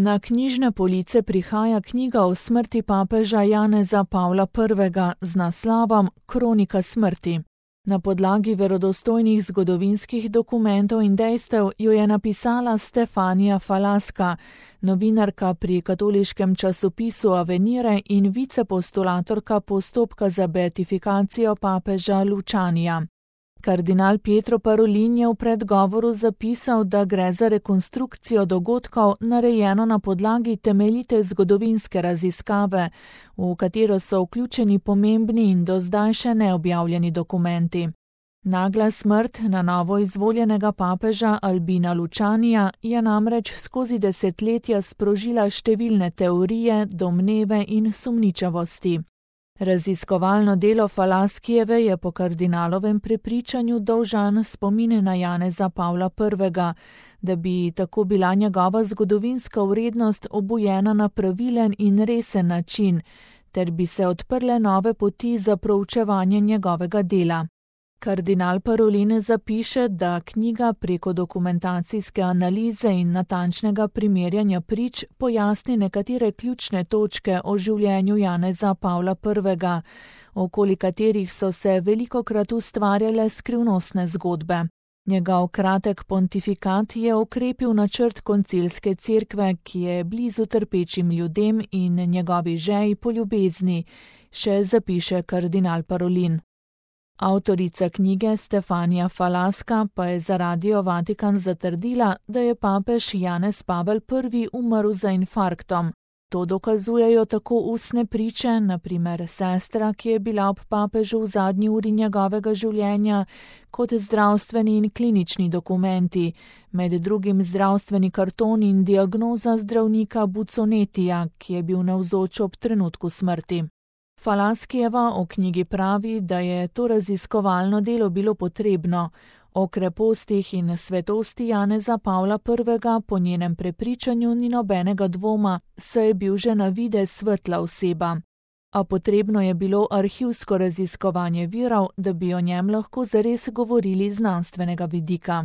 Na knjižne police prihaja knjiga o smrti papeža Janeza Pavla I. z naslovom Kronika smrti. Na podlagi verodostojnih zgodovinskih dokumentov in dejstev jo je napisala Stefanija Falaska, novinarka pri katoliškem časopisu Avenire in vicepostulatorka postopka za beatifikacijo papeža Lučanija. Kardinal Pietro Parolin je v predgovoru zapisal, da gre za rekonstrukcijo dogodkov, narejeno na podlagi temeljite zgodovinske raziskave, v katero so vključeni pomembni in do zdaj še neobjavljeni dokumenti. Nagla smrt na novo izvoljenega papeža Albina Lučanija je namreč skozi desetletja sprožila številne teorije, domneve in sumničavosti. Raziskovalno delo Falaskijeve je po kardinalovem prepričanju dolžan spomine na Janeza Pavla I., da bi tako bila njegova zgodovinska vrednost obujena na pravilen in resen način, ter bi se odprle nove poti za proučevanje njegovega dela. Kardinal Parolin zapiše, da knjiga preko dokumentacijske analize in natančnega primerjanja prič pojasni nekatere ključne točke o življenju Janeza Pavla I., okoli katerih so se velikokrat ustvarjale skrivnostne zgodbe. Njegov kratek pontifikat je okrepil načrt koncilske cerkve, ki je blizu trpečim ljudem in njegovi žeji po ljubezni, še zapiše kardinal Parolin. Avtorica knjige Stefanija Falaska pa je za Radio Vatikan zatrdila, da je papež Janez Pavel I. umrl za infarktom. To dokazujejo tako ustne priče, na primer sestra, ki je bila ob papežu v zadnji uri njegovega življenja, kot zdravstveni in klinični dokumenti, med drugim zdravstveni karton in diagnoza zdravnika Buconetija, ki je bil navzoč ob trenutku smrti. Falaskijeva o knjigi pravi, da je to raziskovalno delo bilo potrebno. O krepostih in svetosti Janeza Pavla I. po njenem prepričanju ni nobenega dvoma, saj je bil že na videz svetla oseba. A potrebno je bilo arhivsko raziskovanje virov, da bi o njem lahko zares govorili z znanstvenega vidika.